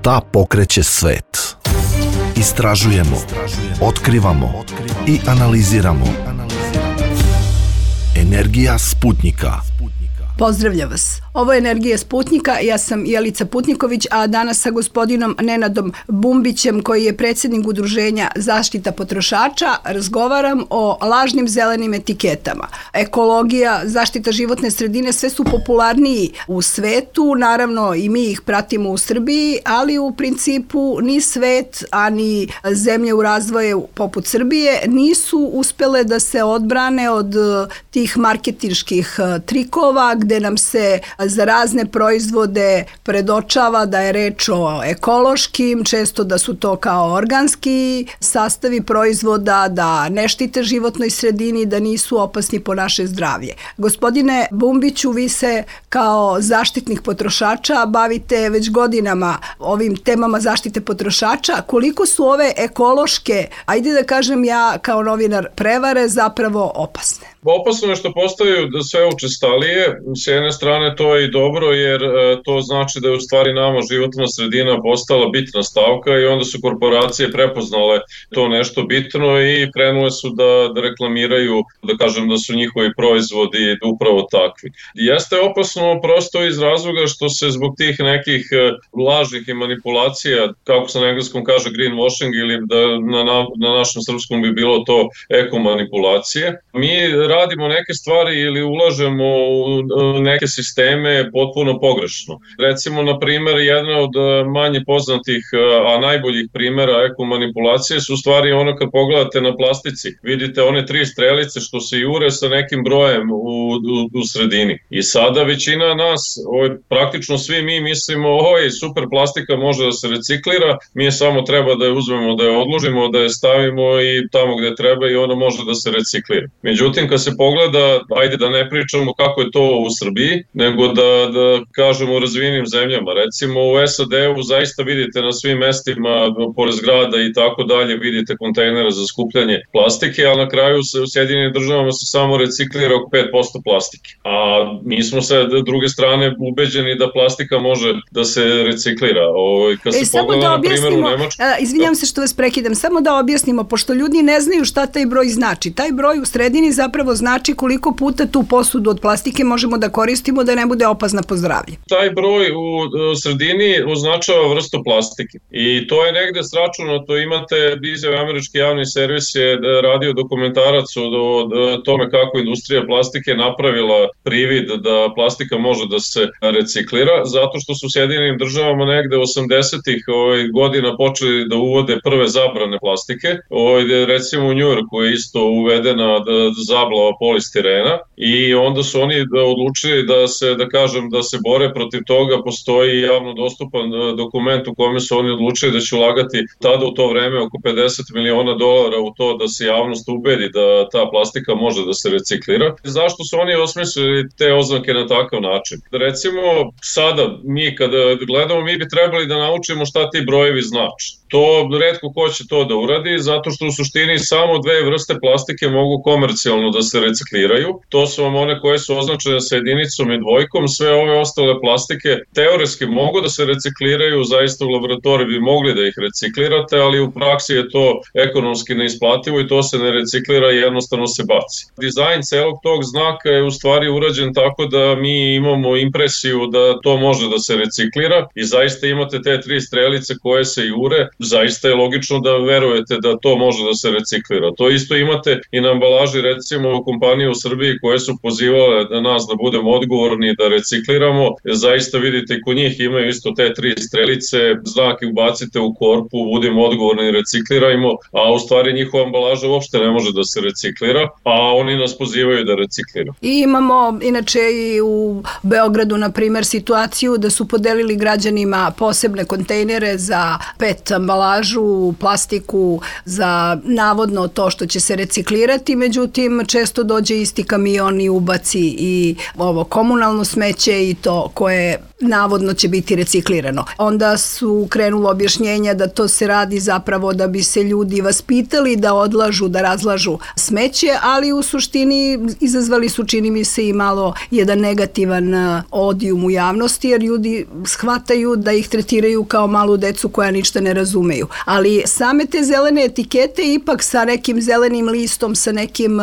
Šta pokreće svet? Istražujemo, otkrivamo i analiziramo. Energija Sputnjika. Pozdravljam vas. Ovo je Energija Sputnjika, ja sam Jelica Putniković, a danas sa gospodinom Nenadom Bumbićem, koji je predsjednik Udruženja Zaštita potrošača, razgovaram o lažnim zelenim etiketama. Ekologija, zaštita životne sredine, sve su popularniji u svetu, naravno i mi ih pratimo u Srbiji, ali u principu ni svet, a ni zemlje u razvoju poput Srbije nisu uspele da se odbrane od tih marketinških trikova, gde nam se za razne proizvode predočava da je reč o ekološkim, često da su to kao organski sastavi proizvoda, da ne štite životnoj sredini, da nisu opasni po naše zdravlje. Gospodine Bumbiću, vi se kao zaštitnik potrošača bavite već godinama ovim temama zaštite potrošača. Koliko su ove ekološke, ajde da kažem ja kao novinar, prevare zapravo opasne? Opasno je što postaju sve učestalije. S jedne strane to je i dobro, jer to znači da je u stvari nama životna sredina postala bitna stavka i onda su korporacije prepoznale to nešto bitno i krenule su da reklamiraju, da kažem da su njihovi proizvodi upravo takvi. Jeste opasno prosto iz razloga što se zbog tih nekih lažnih i manipulacija, kako se na engleskom kaže greenwashing, ili da na našem srpskom bi bilo to ekomanipulacije, mi radimo neke stvari ili ulažemo u neke sisteme potpuno pogrešno. Recimo, na primjer, jedna od manje poznatih, a najboljih primjera ekomanipulacije su u stvari ono kad pogledate na plastici. Vidite one 3 strelice što se jure sa nekim brojem u sredini. I sada većina nas, praktično svi mi mislimo, super, plastika može da se reciklira, mi samo treba da je uzmemo, da je odložimo, da je stavimo i tamo gde treba i ona može da se reciklira. Međutim, kad se pogleda, ajde da ne pričamo kako je to u Srbiji, nego da kažemo u razvijenim zemljama. Recimo u SAD-u zaista vidite na svim mestima, pored zgrada i tako dalje, vidite kontejnere za skupljanje plastike, ali na kraju u Sjedinjenim državama se samo reciklira oko 5% plastike. A mi smo sa druge strane ubeđeni da plastika može da se reciklira. Kad se pogleda na primjer u Nemačku... Izvinjam se što vas prekidam, samo da objasnimo, pošto ljudi ne znaju šta taj broj znači. Taj broj u sredini zapravo znači koliko puta tu posudu od plastike možemo da koristimo da ne bude opasna po zdravlje. Taj broj u sredini označava vrstu plastike i to je negde sračunato. Imate izjave, američki javni servis je radio dokumentarac o tome kako industrija plastike napravila privid da plastika može da se reciklira, zato što su u Sjedinjenim državama negde 80-ih godina počeli da uvode prve zabrane plastike. Recimo u Njujorku je isto uvedena zablava polistirena i onda su oni odlučili da se bore protiv toga. Postoji javno dostupan dokument u kome su oni odlučili da će ulagati tada u to vreme oko $50 miliona u to da se javnost ubedi da ta plastika može da se reciklira. Zašto su oni osmislili te oznake na takav način? Recimo, sada mi kada gledamo, mi bi trebali da naučimo šta ti brojevi znači. To retko ko će to da uradi, zato što u suštini samo 2 vrste plastike mogu komercijalno da se recikliraju. To su vam one koje su označene sa jedinicom i dvojkom. Sve ove ostale plastike teoretski mogu da se recikliraju, zaista u laboratoriji bi mogli da ih reciklirate, ali u praksi je to ekonomski neisplativo i to se ne reciklira i jednostavno se baci. Dizajn celog tog znaka je u stvari urađen tako da mi imamo impresiju da to može da se reciklira i zaista imate te 3 strelice koje se jure. Zaista je logično da verujete da to može da se reciklira. To isto imate i na ambalaži, recimo kompanije u Srbiji koje su pozivale da nas da budemo odgovorni da recikliramo. Zaista vidite i kod njih imaju isto te 3 strelice, znake ubacite u korpu, budemo odgovorni i reciklirajmo, a u stvari njihova ambalaža uopšte ne može da se reciklira, a oni nas pozivaju da recikliramo. I imamo inače i u Beogradu, na primer, situaciju da su podelili građanima posebne kontejnere za PET ambalažu, plastiku, za navodno to što će se reciklirati, međutim često često dođe isti kamion i ubaci i ovo komunalno smeće i to koje navodno će biti reciklirano. Onda su krenula objašnjenja da to se radi zapravo da bi se ljudi vaspitali da odlažu, da razlažu smeće, ali u suštini izazvali su, čini mi se, i malo jedan negativan odijum u javnosti, jer ljudi shvataju da ih tretiraju kao malu decu koja ništa ne razumeju. Ali same te zelene etikete ipak sa nekim zelenim listom, sa nekim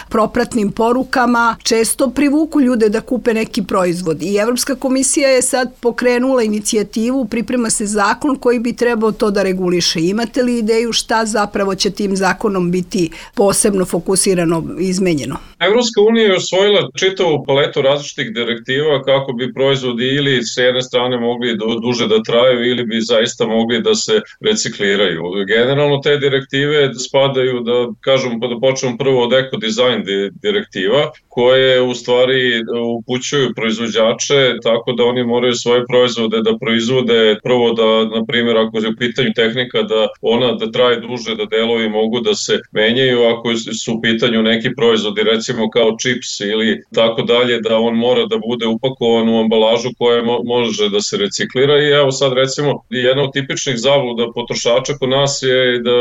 propratnim porukama često privuku ljude da kupe neki proizvod. I Evropska komisija je sad pokrenula inicijativu, priprema se zakon koji bi trebao to da reguliše. Imate li ideju šta zapravo će tim zakonom biti posebno fokusirano i izmenjeno? Evropska unija je osvojila čitavu paletu različitih direktiva kako bi proizvodi ili s jedne strane mogli duže da traju ili bi zaista mogli da se recikliraju. Generalno te direktive spadaju, da kažemo, da počnemo prvo od ekodizajn direktiva, koje u stvari upućuju proizvođače tako da oni moraju svoje proizvode da proizvode prvo da, na primjer, ako je u pitanju tehnika da ona da traje duže, da delovi mogu da se menjaju, ako su u pitanju neki proizvodi, recimo kao čips ili tako dalje, da on mora da bude upakovan u ambalažu koja može da se reciklira. I evo sad recimo jedna od tipičnih zabluda potrošača kod nas je da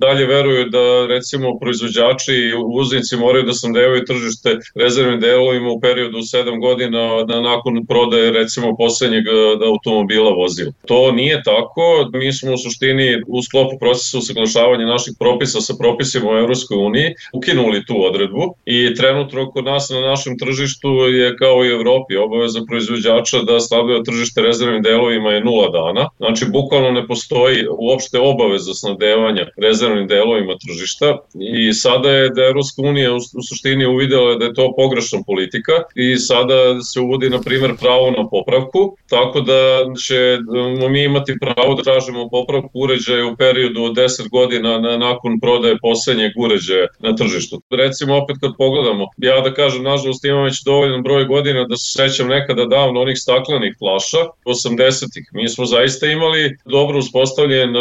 dalje veruju da recimo proizvođači i uvoznici moraju da snabdevaju tržište rezervnim delovima u periodu 7 godina nakon prodaje recimo poslednjeg automobila vozila. To nije tako. Mi smo u suštini u sklopu procesa usaglašavanja naših propisa sa propisima u Evropskoj uniji ukinuli tu odredbu i trenutno kod nas na našem tržištu je kao i u Evropi obaveza proizvođača da snabdeva tržište rezervnim delovima je 0 dana. Znači bukvalno ne postoji uopšte obaveza snabdevanja rezervnim delovima tržišta i sada je da Evropska unija u suštini uvidela da je to pogrešna politika i sada se uvodi na primjer pravo na popravku, tako da ćemo mi imati pravo da tražimo popravku uređaja u periodu od 10 godina nakon prodaje poslednjeg uređaja na tržištu. Recimo opet kad pogledamo, ja da kažem, nažalost imam već dovoljan broj godina da se sećam nekada davno onih staklenih flaša 80-ih. Mi smo zaista imali dobro uspostavljen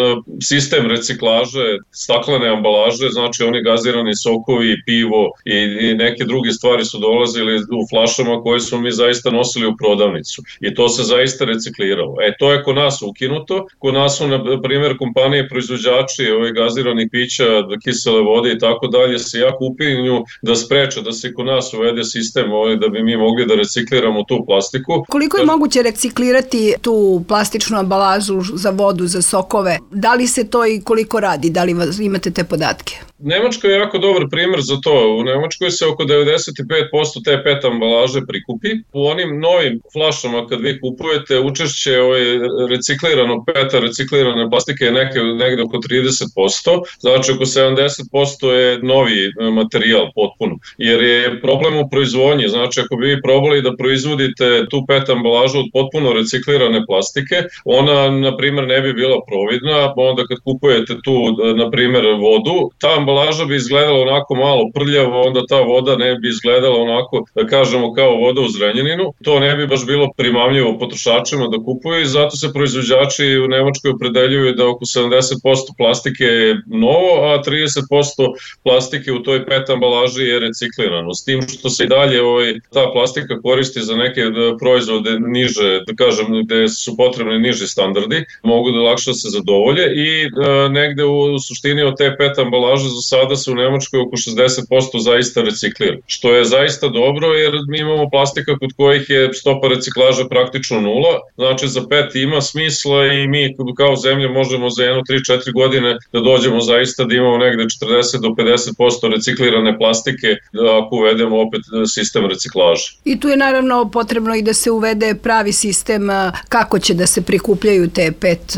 sistem reciklaže staklene ambalaže, znači oni gazirani sokovi, pivo i neke druge stvari su dolazili u flašama koje smo mi zaista nosili u prodavnicu i to se zaista recikliralo. To je kod nas ukinuto. Kod nas su, na primjer, kompanije proizvođači gaziranih pića, kisele vode i tako dalje se jako upinju da spreče da se kod nas uvede sistem da bi mi mogli da recikliramo tu plastiku. Koliko je moguće reciklirati tu plastičnu ambalažu za vodu, za sokove? Da li se to i koliko radi? Da li imate te podatke? Nemačka je jako dobar primjer za to. U Nemačkoj se oko 95% te PET ambalaže prikupi. U onim novim flašama kad vi kupujete učešće recikliranog PET-a, reciklirane plastike je negde oko 30%, znači oko 70% je novi materijal potpuno. Jer je problem u proizvodnji, znači ako bi vi probali da proizvodite tu PET ambalažu od potpuno reciklirane plastike, ona na primjer ne bi bila providna, onda kad kupujete tu na primjer vodu, ta ambalaža bi izgledala onako malo prljavo, onda ta voda ne bi izgledala onako, da kažemo, kao voda u Zrenjaninu. To ne bi baš bilo primamljivo potrošačima da kupuju i zato se proizvođači u Nemačkoj opredeljuju da oko 70% plastike je novo, a 30% plastike u toj PET ambalaži je reciklirano. S tim što se i dalje ta plastika koristi za neke proizvode niže, da kažem, gde su potrebni niži standardi, mogu da lakše se zadovolje i negde u suštini od te PET ambalaže za sada se u Nemačkoj oko 60% zaista reciklira, što je zaista dobro jer mi imamo plastika kod kojih je stopa reciklaže praktično 0, znači za PET ima smisla i mi kao zemlja možemo za 1-3-4 godine da dođemo zaista da imamo negde 40 do 50% reciklirane plastike ako uvedemo opet sistem reciklaže. I tu je naravno potrebno i da se uvede pravi sistem kako će da se prikupljaju te PET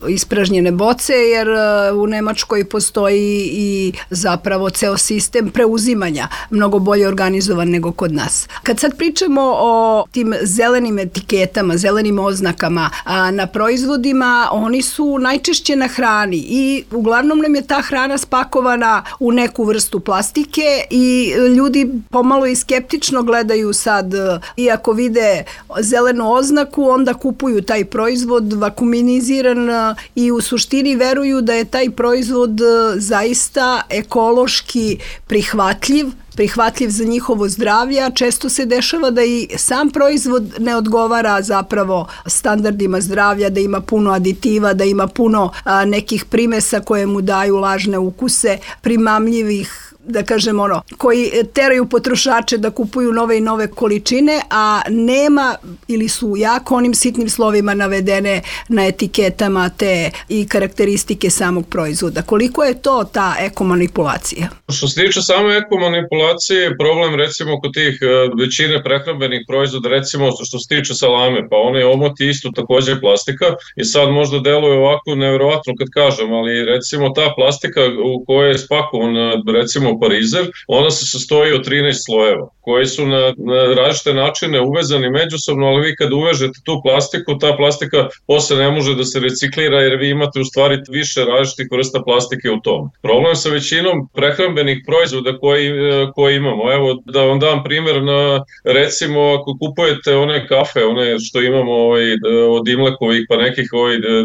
ispražnjene boce, jer u Nemačkoj postoji i zapravo ceo sistem preuzimanja mnogo bolje organizovan nego kod nas. Kad sad pričamo o tim zelenim etiketama, zelenim oznakama na proizvodima, oni su najčešće na hrani i uglavnom nam je ta hrana spakovana u neku vrstu plastike i ljudi pomalo i skeptično gledaju sad, iako vide zelenu oznaku, onda kupuju taj proizvod vakuminiziran i u suštini veruju da je taj proizvod zaista ekološki prihvatljiv prihvatljiv za njihovo zdravlje, a često se dešava da i sam proizvod ne odgovara zapravo standardima zdravlja, da ima puno aditiva, da ima puno nekih primesa koje mu daju lažne ukuse, primamljivih, da kažem koji teraju potrošače da kupuju nove i nove količine, a nema ili su jako onim sitnim slovima navedene na etiketama te i karakteristike samog proizvoda. Koliko je to ta ekomanipulacija? Što se tiče same ekomanipulacije, problem recimo kod tih većine prehrambenih proizvoda, recimo što se tiče salame, pa onaj omot je isto također plastika i sad možda deluje ovako nevjerovatno kad kažem, ali recimo ta plastika u kojoj je spakovan recimo parizer, ona se sastoji od 13 slojeva koji su na različite načine uvezani međusobno, ali vi kad uvežete tu plastiku, ta plastika posle ne može da se reciklira jer vi imate u stvari više različitih vrsta plastike u tom. Problem sa većinom prehrambenih proizvoda koji imamo, evo da vam dam primjer na recimo ako kupujete one kafe, one što imamo od Imlekovih pa nekih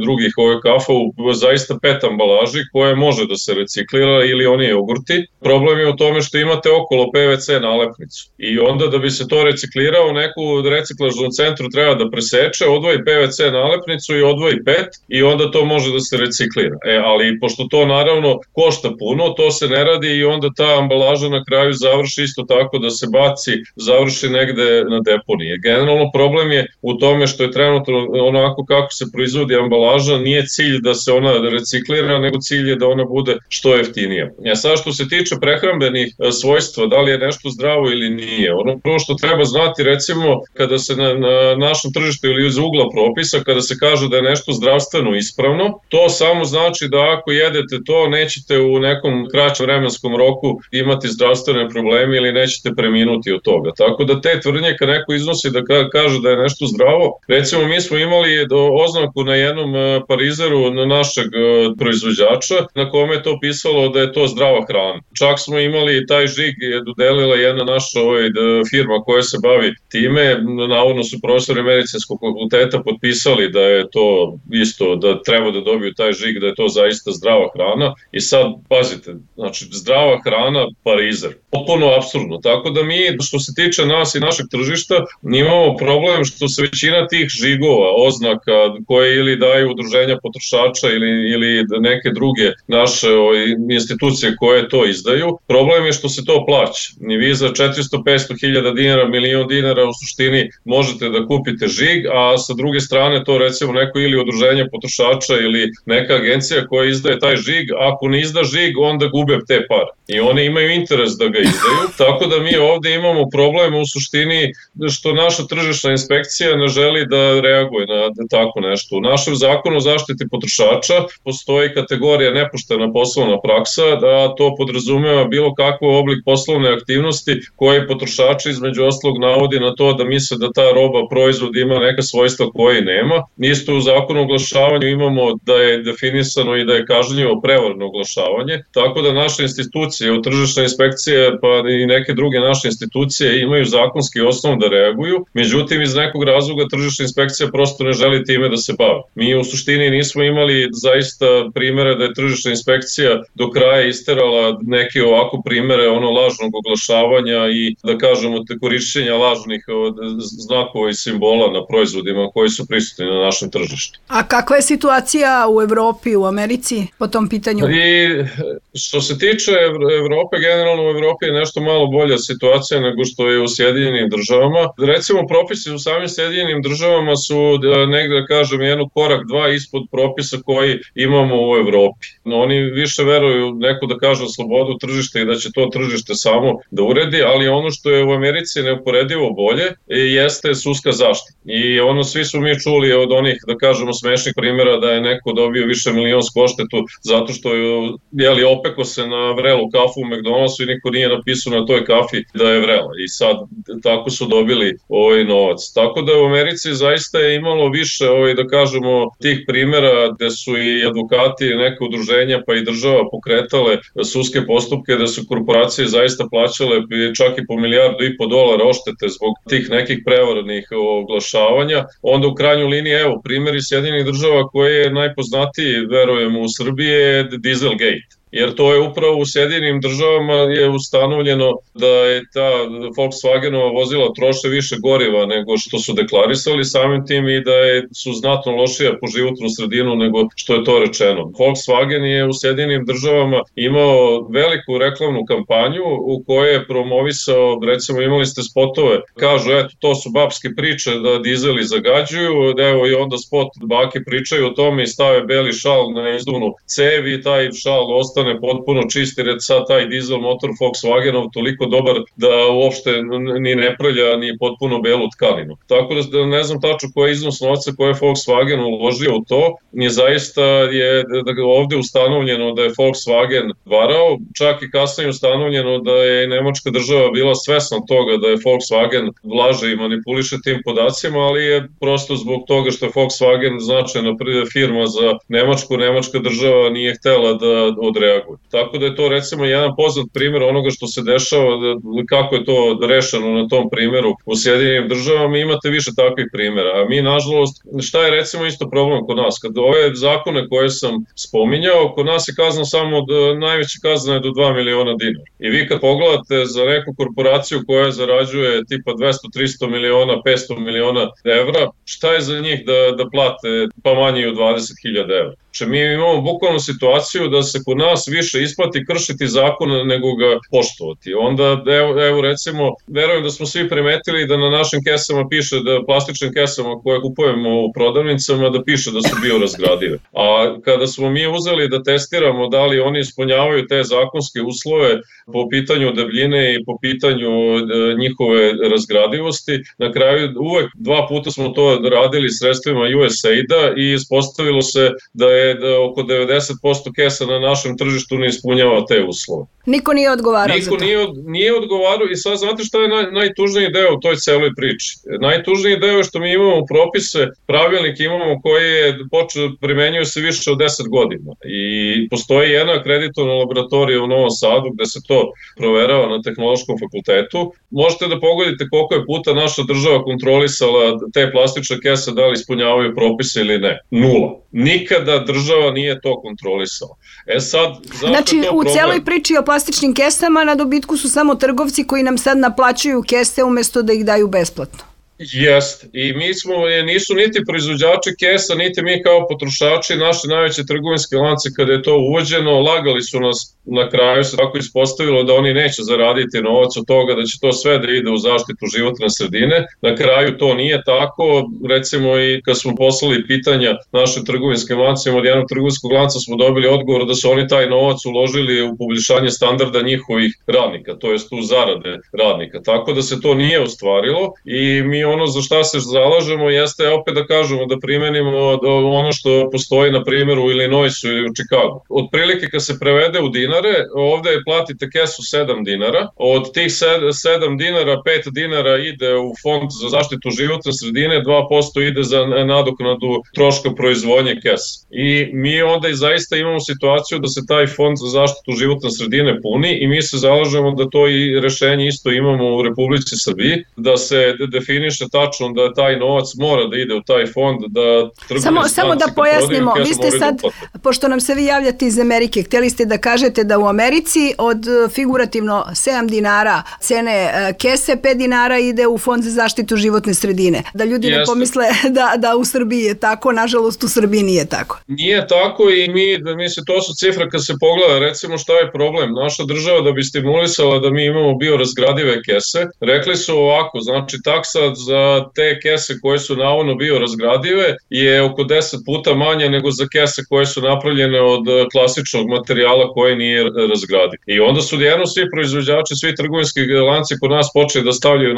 drugih kafa u zaista PET ambalaži koje može da se reciklira ili oni jogurti. Problem je u tome što imate okolo PVC nalepnicu i onda da bi se to reciklirao neku reciklažnom centru treba da preseče, odvoji PVC nalepnicu i odvoji PET i onda to može da se reciklira. Ali pošto to naravno košta puno, to se ne radi i onda ta ambalaža na kraju završi isto tako da se baci, završi negde na deponiji. Generalno problem je u tome što je trenutno onako kako se proizvodi ambalaža, nije cilj da se ona reciklira, nego cilj je da ona bude što jeftinija. Sad što se tiče prehrambenih svojstva, da li je nešto zdravo ili nije. Ono prvo što treba znati, recimo, kada se na našem tržištu ili iz ugla propisa, kada se kaže da je nešto zdravstveno ispravno, to samo znači da ako jedete to, nećete u nekom kraćem vremenskom roku imati zdravstvene probleme ili nećete preminuti od toga. Tako da te tvrdnje kad neko iznosi da kaže da je nešto zdravo, recimo mi smo imali oznaku na jednom parizeru našeg proizvođača na kome je to pisalo da je to zdrava hrana. Čak smo imali taj žig je dodelila jedna naša firma koja se bavi time, navodno su profesori medicinskog fakulteta potpisali da je to isto, da treba da dobiju taj žig, da je to zaista zdrava hrana i sad, pazite, znači zdrava hrana, parizer. Potpuno apsurdno, tako da mi, što se tiče nas i našeg tržišta, imamo problem što se većina tih žigova, oznaka koje ili daju udruženja potrošača ili neke druge naše institucije koje to izdaju, problem je što se to plaća. I vi za 400-500 hiljada dinara, milion dinara u suštini možete da kupite žig, a sa druge strane to recimo neko ili udruženje potrošača ili neka agencija koja izdaje taj žig, ako ne izda žig, onda gube te pare. I oni imaju interes da ga izdaju, tako da mi ovde imamo problem u suštini što naša tržišna inspekcija ne želi da reaguje na tako nešto. U našem zakonu o zaštiti potrošača postoji kategorija nepoštena poslovna praksa, da to podrazumeva bilo kakav oblik poslovne aktivnosti koje potrošači između ostalog navodi na to da misle da ta roba, proizvod ima neka svojstva koje nema. Isto u zakonu o oglašavanju imamo da je definisano i da je kažnjivo prevarno oglašavanje, tako da naše institucije, tržišna inspekcija pa i neke druge naše institucije imaju zakonski osnov da reaguju, međutim iz nekog razloga tržišna inspekcija prosto ne želi time da se bavi. Mi u suštini nismo imali zaista primere da je tržišna inspekcija do kraja isterala neke ovako primere lažnog oglašavanja i da kažemo korišćenja lažnih znakova i simbola na proizvodima koji su prisutni na našem tržištu. A kakva je situacija u Evropi, u Americi po tom pitanju? I što se tiče Evrope, generalno u Evropi je nešto malo bolja situacija nego što je u Sjedinjenim državama. Recimo propisi u samim Sjedinjenim državama su negde da kažem jednu korak, dva ispod propisa koji imamo u Evropi. Oni više veruju neko da kaže slobodu tržišta i da će to tržište samo da uredi, ali ono što je u Americi neuporedivo bolje jeste sudska zaštita. I svi smo mi čuli od onih da kažemo smešnih primjera da je neko dobio više milionsku odštetu zato što je opeko se na vrelu kafu u McDonald'su i niko nije napisao na toj kafi da je vrela i sad tako su dobili novac. Tako da u Americi zaista je imalo više da kažemo tih primjera gde su i advokati, neke udruženja pa i država pokretale sudske postupke da su korporacije zaista plaćale čak i po $1,5 milijarda odštete zbog tih nekih prevarnih oglašavanja. Onda u krajnjoj liniji, evo, primjeri Sjedinjenih država koji je najpoznatiji, verujem, u Srbiji je Dieselgate. jer to je upravo u Sjedinjenim državama je ustanovljeno da je ta Volkswagenova vozila troše više goriva nego što su deklarisali samim tim i da su znatno lošija po životnu sredinu nego što je to rečeno. Volkswagen je u Sjedinjenim državama imao veliku reklamnu kampanju u kojoj je promovisao, recimo imali ste spotove, kažu eto to su babske priče da dizeli zagađuju, evo i onda spot bake pričaju o tome i stave beli šal na izduvnu cev i taj šal ostane potpuno čist jer je sad taj dizel motor Volkswagenov toliko dobar da uopšte ni ne prlja ni potpuno belu tkaninu. Tako da ne znam tačno koji je iznos novca koje je Volkswagen uložio u to, nije zaista je ovde ustanovljeno da je Volkswagen varao, čak i kasnije ustanovljeno da je nemačka država bila svesna toga da je Volkswagen laže i manipuliše tim podacima, ali je prosto zbog toga što je Volkswagen značajna firma za Nemačku, nemačka država nije htela da odreaguje. Tako da je to recimo jedan poznat primjer onoga što se dešava, kako je to rešeno na tom primjeru u Sjedinjenim državama, imate više takvih primjera. A mi, nažalost, šta je recimo isto problem kod nas? Kad ove zakone koje sam spominjao, kod nas je kazna samo, najveća kazna je do 2 miliona dinara. I vi kad pogledate za neku korporaciju koja zarađuje tipa 200-300 miliona, 500 miliona evra, šta je za njih da plate pa manje od 20.000 evra? Znači, mi imamo bukvalno situaciju da se kod nas više isplati kršiti zakon nego ga poštovati. Onda, evo recimo, verujem da smo svi primetili da na našim kesama piše, da plastičnim kesama koje kupujemo u prodavnicama, da piše da su biorazgradive. A kada smo mi uzeli da testiramo da li oni ispunjavaju te zakonske uslove po pitanju debljine i po pitanju njihove razgradivosti, na kraju uvek 2 puta smo to radili sredstvima USAID-a i ispostavilo se da je oko 90% kesa na našem tržištu ne ispunjava te uslove. Niko nije odgovarao za to. Nije odgovarao i sad znate šta je najtužniji deo u toj celoj priči. Najtužniji deo je što mi imamo propise, pravilnik imamo koji je primenjuju se više od 10 godina i postoji jedna akreditovana laboratorija u Novom Sadu gde se to proverava na Tehnološkom fakultetu. Možete da pogodite koliko je puta naša država kontrolisala te plastične kese da li ispunjavaju propise ili ne. 0. Nikada država nije to kontrolisala. Znači, u celoj priči o plastičnim kesama na dobitku su samo trgovci koji nam sad naplaćuju kese umesto da ih daju besplatno. Jest. I nisu niti proizvođači kesa, niti mi kao potrošači, naši najveće trgovinske lance kada je to uvođeno, lagali su nas, na kraju se tako ispostavilo da oni neće zaraditi novac od toga, da će to sve da ide u zaštitu životne sredine. Na kraju to nije tako, recimo i kad smo poslali pitanja našim trgovinskim lancima, od jednog trgovinskog lanca smo dobili odgovor da su oni taj novac uložili u poboljšanje standarda njihovih radnika, to jest u zarade radnika. Tako da se to nije ostvarilo i mi ono za šta se zalažemo jeste opet da kažemo da primenimo ono što postoji na primjeru u Illinoisu ili u Chicagu. Otprilike kad se prevede u dinare, ovde platite kesu 7 dinara, od tih 7 dinara 5 dinara ide u fond za zaštitu životne sredine, 2% ide za nadoknadu troška proizvodnje kesa. I mi onda i zaista imamo situaciju da se taj fond za zaštitu životne sredine puni i mi se zalažemo da to i rešenje isto imamo u Republici Srbiji, da se definiše tačno da taj novac mora da ide u taj fond, da Samo da pojasnimo, vi ste sad, pošto nam se vi javljate iz Amerike, htjeli ste da kažete da u Americi od figurativno 7 dinara cene kese, 5 dinara ide u fond za zaštitu životne sredine. Da ljudi ne pomisle da u Srbiji je tako, nažalost u Srbiji nije tako. Nije tako i mislim, to su cifre kad se pogleda, recimo šta je problem. Naša država da bi stimulisala da mi imamo biorazgradive kese, rekli su ovako, znači taksa za te kese koje su navodno biorazgradive je oko 10 puta manje nego za kese koje su napravljene od klasičnog materijala koji nije razgradiv. I onda su jedno svi proizvođači, svi trgovinski lanci kod nas počeli da stavljaju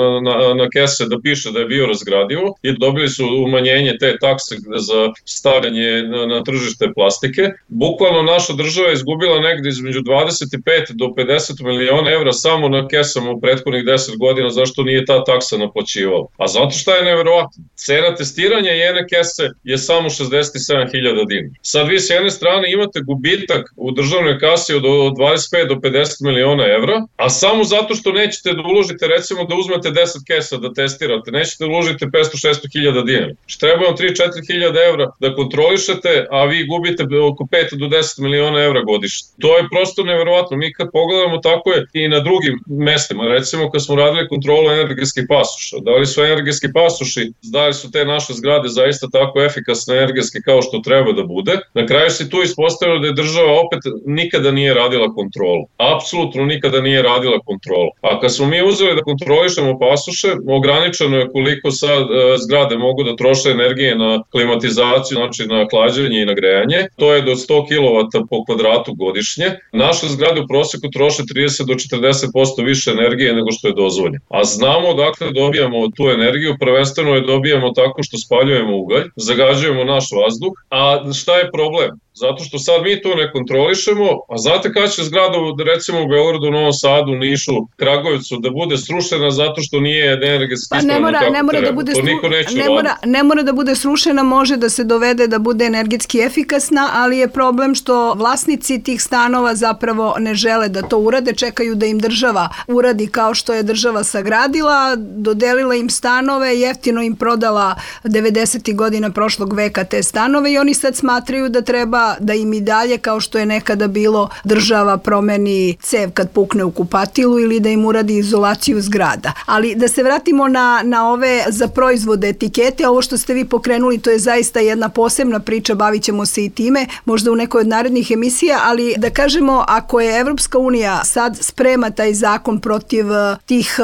na kese da piše da je biorazgradivo i dobili su umanjenje te takse za stavljanje na tržište plastike. Bukvalno naša država je izgubila negde između 25 do 50 miliona evra samo na kesama u prethodnih 10 godina zašto nije ta taksa naplaćivala. A zato šta je neverovatno? Cena testiranja jedne kese je samo 67.000 dinara. Sad vi s jedne strane imate gubitak u državnoj kasi od 25 do 50 miliona evra, a samo zato što nećete da uložite, recimo da uzmete 10 kesa da testirate, nećete da uložite 500-600.000 dinara. Treba vam 3-4.000 evra da kontrolišete, a vi gubite oko 5 do 10 miliona evra godišnje. To je prosto neverovatno. Mi kad pogledamo, tako je i na drugim mestima. Recimo kad smo radili kontrolu energetskih pasoša, da li su energetski pasoši, da li su te naše zgrade zaista tako efikasne energetski kao što treba da bude. Na kraju se tu ispostavilo da je država opet nikada nije radila kontrolu. Apsolutno nikada nije radila kontrolu. A kad smo mi uzeli da kontrolišemo pasoše, ograničeno je koliko sad zgrade mogu da troše energije na klimatizaciju, znači na hlađenje i na grejanje. To je do 100 kW po kvadratu godišnje. Naše zgrade u proseku troše 30 do 40% više energije nego što je dozvoljeno. A znamo dakle dobijamo tu energiju, prvenstveno je dobijamo tako što spaljujemo ugalj, zagađujemo naš vazduh, a šta je problem? Zato što sad mi to ne kontrolišemo, a znate kada će zgrada recimo u Beogradu, Novom Sadu, Nišu, Kragujevcu da bude srušena zato što nije energetski ispravno kako treba. To niko neće raditi. Ne mora da bude srušena, može da se dovede da bude energetski efikasna, ali je problem što vlasnici tih stanova zapravo ne žele da to urade, čekaju da im država uradi kao što je država sagradila, dodelila im stanove, jeftino im prodala 90. godina prošlog veka te stanove i oni sad smatraju da treba da im i dalje, kao što je nekada bilo, država promeni cev kad pukne u kupatilu ili da im uradi izolaciju zgrada. Ali da se vratimo na ove za proizvode etikete, ovo što ste vi pokrenuli, to je zaista jedna posebna priča, bavit ćemo se i time, možda u nekoj od narednih emisija, ali da kažemo, ako je Evropska unija sad sprema taj zakon protiv tih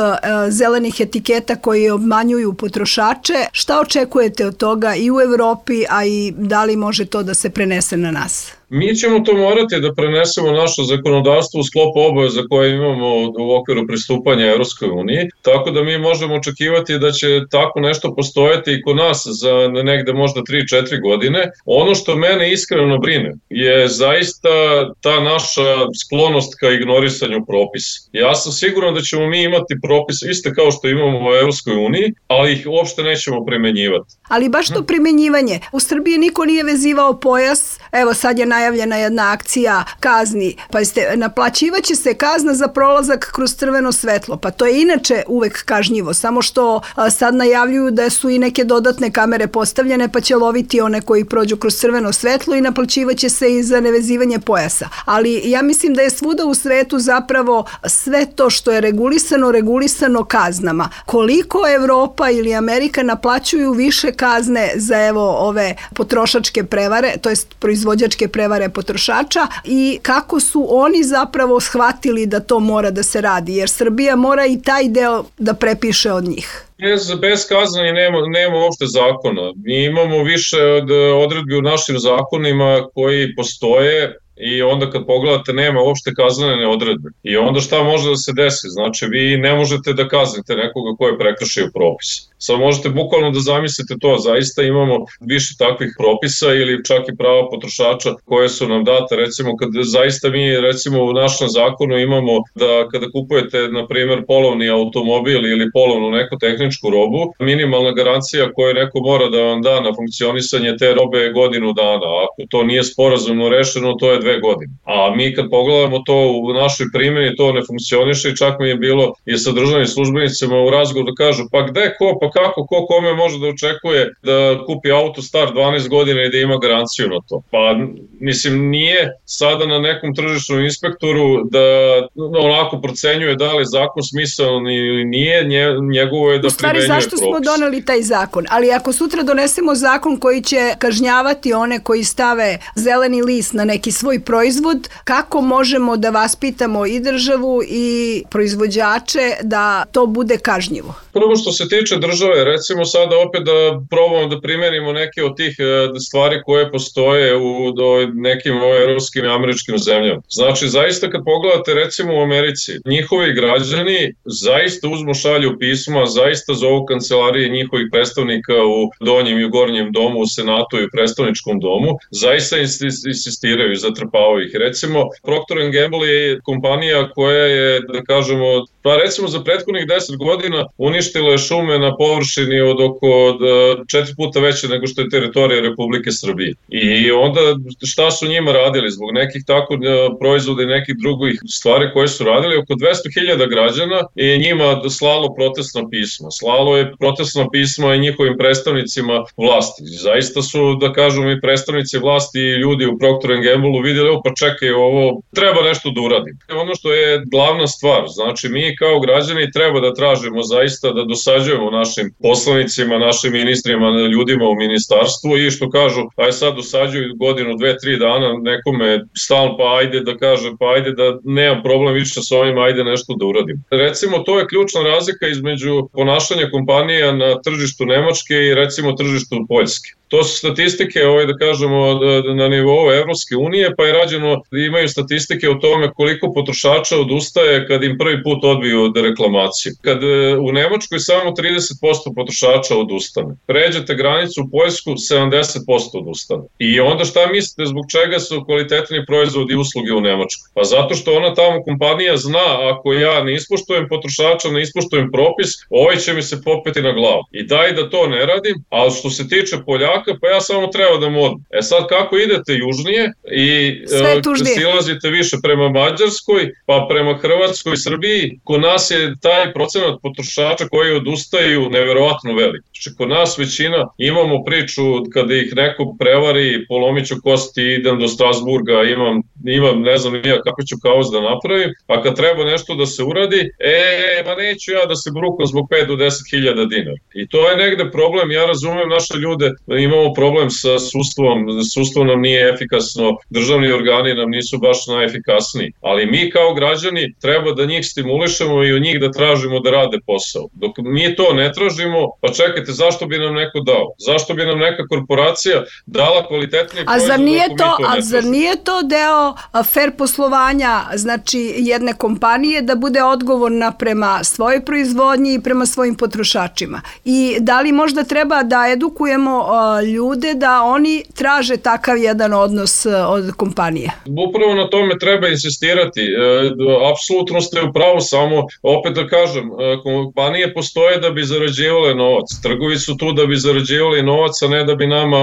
zelenih etiketa koji obmanjuju potrošače, šta očekujete od toga i u Evropi, a i da li može to da se prenese na nas? Mi ćemo to morati da prenesemo naše zakonodavstvo u sklopu obaveza koje imamo u okviru pristupanja Evropskoj uniji, tako da mi možemo očekivati da će tako nešto postojati i kod nas za negde možda 3-4 godine. Ono što mene iskreno brine je zaista ta naša sklonost ka ignorisanju propisa. Ja sam siguran da ćemo mi imati propise iste kao što imamo u Evropskoj uniji, ali ih uopšte nećemo primenjivati. Ali baš to primenjivanje. U Srbiji niko nije vezivao pojas, evo sad je najavljena jedna akcija kazni, pa naplaćivaće se kazna za prolazak kroz crveno svetlo, pa to je inače uvek kažnjivo, samo što sad najavljuju da su i neke dodatne kamere postavljene, pa će loviti one koji prođu kroz crveno svetlo i naplaćivaće se i za nevezivanje pojasa. Ali ja mislim da je svuda u svetu zapravo sve to što je regulisano kaznama. Koliko Evropa ili Amerika naplaćuju više kazne za evo ove potrošačke prevare, to jest proizvođačke prevare potrošača i kako su oni zapravo shvatili da to mora da se radi, jer Srbija mora i taj deo da prepiše od njih. Bez kaznanja nema uopšte zakona. Mi imamo više odredbi u našim zakonima koji postoje i onda kad pogledate nema uopšte kaznene odredbe. I onda šta može da se desi? Znači vi ne možete da kaznite nekoga ko je prekršio propis. Sad možete bukvalno da zamislite to, zaista imamo više takvih propisa ili čak i prava potrošača koje su nam date, recimo kad zaista mi recimo u našem zakonu imamo da kada kupujete na primjer polovni automobil ili polovnu neku tehničku robu, minimalna garancija koju neko mora da vam da na funkcionisanje te robe je godinu dana, ako to nije sporazumno rešeno to je 2 godine. A mi kad pogledamo to u našoj primjeni to ne funkcioniše i čak mi je bilo i sa državnim službenicima u razgovoru da kažu pa gde ko, pa kako, ko kome može da očekuje da kupi auto star 12 godina i da ima garanciju na to. Pa mislim nije sada na nekom tržišnom inspektoru da onako procenjuje da li zakon smisalan ili nije, njegovo je da primenjuje propis. Zašto smo doneli taj zakon? Ali ako sutra donesemo zakon koji će kažnjavati one koji stave zeleni list na neki svoj proizvod, kako možemo da vaspitamo i državu i proizvođače da to bude kažnjivo? Prvo što se tiče države, recimo sada opet da probamo da primenimo neke od tih stvari koje postoje u nekim evropskim i američkim zemljama. Znači, zaista kad pogledate recimo u Americi, njihovi građani zaista uzmu šalju pisma, zaista zovu kancelarije njihovih predstavnika u donjem i gornjem domu, u senatu i predstavničkom domu, zaista insistiraju, zatrpavaju ih. Recimo, Procter & Gamble je kompanija koja je, da kažemo, Pa recimo za prethodnih 10 godina uništilo je šume na površini od oko 4 puta veće nego što je teritorija Republike Srbije. I onda šta su njima radili? Zbog nekih tako proizvoda i nekih drugih stvari koje su radili, oko 200.000 građana je njima slalo protestno pismo. Slalo je protestno pismo i njihovim predstavnicima vlasti. Zaista su, da kažem, i predstavnici vlasti i ljudi u Procter & Gamble vidjeli, pa čekaj, ovo treba nešto da uradim. Ono što je glavna stvar, znači mi kao građani treba da tražimo zaista da dosađujemo našim poslanicima, našim ministrima, ljudima u ministarstvu i što kažu, aj sad dosađuju godinu, 2-3 dana nekome stalno, pa ajde da kaže, pa ajde da nemam problem više s ovim, ajde nešto da uradim. Recimo, to je ključna razlika između ponašanja kompanija na tržištu Nemačke i recimo tržištu Poljske. To su statistike, da kažemo, na nivou Evropske unije, pa je rađeno, imaju statistike o tome koliko potrošača odustaje kad im prvi put odbiju reklamaciju. Kad u Nemačkoj samo 30% potrošača odustane. Pređete granicu u Poljsku, 70% odustane. I onda šta mislite, zbog čega su kvalitetni proizvodi i usluge u Nemačkoj? Pa zato što ona tamo kompanija zna, ako ja ne ispoštujem potrošača, ne ispoštujem propis, ovaj će mi se popeti na glavu. I daj da to ne radim, ali što se tiče Poljaka, pa ja samo treba da mu odem. Sad kako idete južnije i silazite više prema Mađarskoj, pa prema Hrvatskoj, Srbiji, kod nas je taj procenat potrošača koji odustaju neverovatno velik. Znači, kod nas većina imamo priču kada ih neko prevari, polomiću kosti, idem do Strasburga, imam ne znam ja kako ću kaos da napravim, a kad treba nešto da se uradi, ma neću ja da se brukam zbog 5 do 10.000 dinara. I to je negde problem, ja razumem naše ljude, imamo problem sa sudstvom nam nije efikasno, državni organi nam nisu baš najefikasniji, ali mi kao građani treba da njih stimulišemo i od njih da tražimo da rade posao. Dok mi to ne tražimo, pa čekajte, zašto bi nam neko dao? Zašto bi nam neka korporacija dala kvalitetniji proizvod ako mi to ne tražimo? A zar nije to deo fair poslovanja, znači jedne kompanije da bude odgovorna prema svojoj proizvodnji i prema svojim potrošačima? I da li možda treba da edukujemo ljude da oni traže takav jedan odnos od kompanije? Upravo na tome treba insistirati. Apsolutno ste u pravu, samo opet da kažem, kompanije postoje da bi zarađivale novac. Trgovi su tu da bi zarađivali novac, a ne da bi nama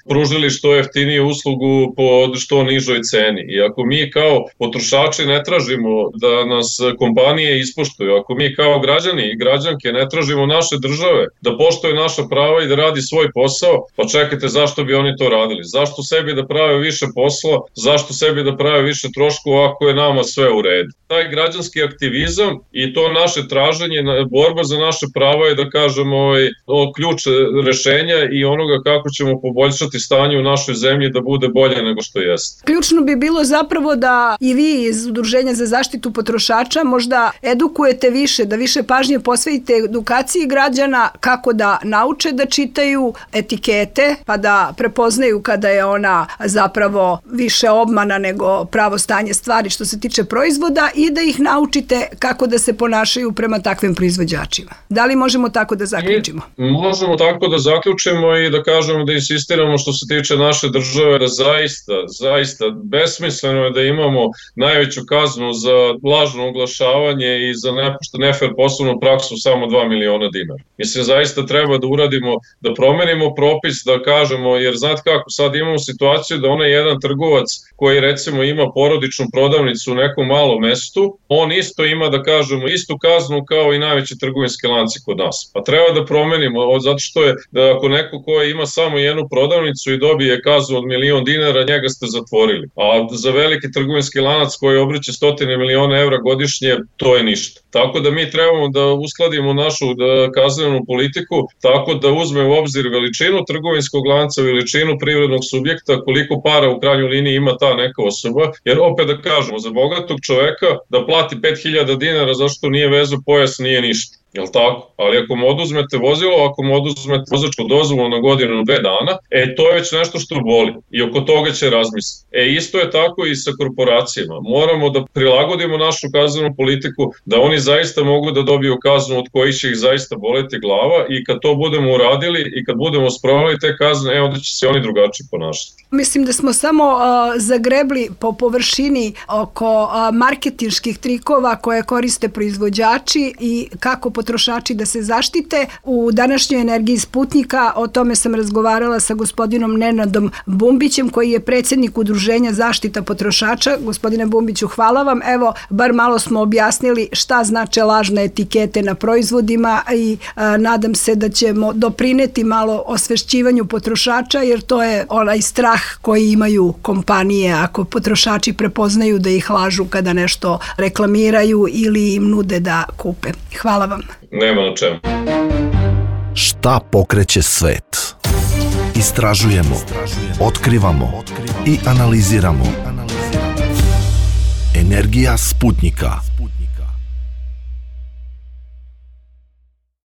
pružili što jeftiniju uslugu po što nižoj ceni. I ako mi kao potrošači ne tražimo da nas kompanije ispoštuju, ako mi kao građani i građanke ne tražimo naše države da poštuje naša prava i da radi svoj posao, pa čekajte, zašto bi oni to radili? Zašto sebi da prave više posla? Zašto sebi da prave više troškova ako je nama sve u redu? Taj građanski aktivizam i to naše traženje, borba za naše prava je, da kažemo, ključ rešenja i onoga kako ćemo poboljšati stanje u našoj zemlji da bude bolje nego što jeste. Ključno bi bilo zapravo da i vi iz Udruženja za zaštitu potrošača možda edukujete više, da više pažnje posvetite edukaciji građana kako da nauče da čitaju etikete, pa da prepoznaju kada je ona zapravo više obmana nego pravo stanje stvari što se tiče proizvoda i da ih naučite kako da se ponašaju prema takvim proizvođačima. Da li možemo tako da zaključimo? Možemo tako da zaključimo i da kažemo da insistiramo što se tiče naše države, da zaista besmisleno je da imamo najveću kaznu za lažno oglašavanje i za nefer poslovnu praksu samo 2 miliona dinara. Mislim, zaista treba da uradimo, da promenimo propis, da kažemo, jer znate kako, sad imamo situaciju da onaj jedan trgovac koji recimo ima porodičnu prodavnicu u nekom malom mestu, on isto ima, da kažemo, istu kaznu kao i najveći trgovinski lanci kod nas. Pa treba da promenimo, zato što je, da ako neko ko ima samo jednu prodavnicu i dobije kaznu od 1.000.000 dinara, njega ste zatvorili. A za veliki trgovinski lanac koji obrće 100 miliona evra godišnje, to je ništa. Tako da mi trebamo da uskladimo našu kaznenu politiku tako da uzme u obzir veličinu trgovinskog lanca, veličinu privrednog subjekta, koliko para u krajnjoj liniji ima ta neka osoba, jer opet da kažemo, za bogatog čoveka da plati 5.000 dinara zašto nije vezu pojas nije ništa. jel tako? Ali ako mu oduzmete vozilo, ako mu oduzmete vozačku dozvolu na godinu, 2 dana, to je već nešto što boli i oko toga će razmisliti. Isto je tako i sa korporacijama. Moramo da prilagodimo našu kaznenu politiku, da oni zaista mogu da dobiju kaznu od kojih će ih zaista boleti glava i kad to budemo uradili i kad budemo sproveli te kazne, onda će se oni drugačije ponašati. Mislim da smo samo zagrebli po površini oko marketinških trikova koje koriste proizvođači i kako potrošači da se zaštite. U današnjoj energiji Sputnika o tome sam razgovarala sa gospodinom Nenadom Bumbićem, koji je predsjednik Udruženja zaštita potrošača. Gospodine Bumbiću, hvala vam. Evo, bar malo smo objasnili šta znače lažne etikete na proizvodima i nadam se da ćemo doprineti malo osvešćivanju potrošača, jer to je onaj strah koji imaju kompanije ako potrošači prepoznaju da ih lažu kada nešto reklamiraju ili im nude da kupe. Hvala vam. Nema na čemu. Šta pokreće svet? Istražujemo, otkrivamo i analiziramo. Energija Sputnika.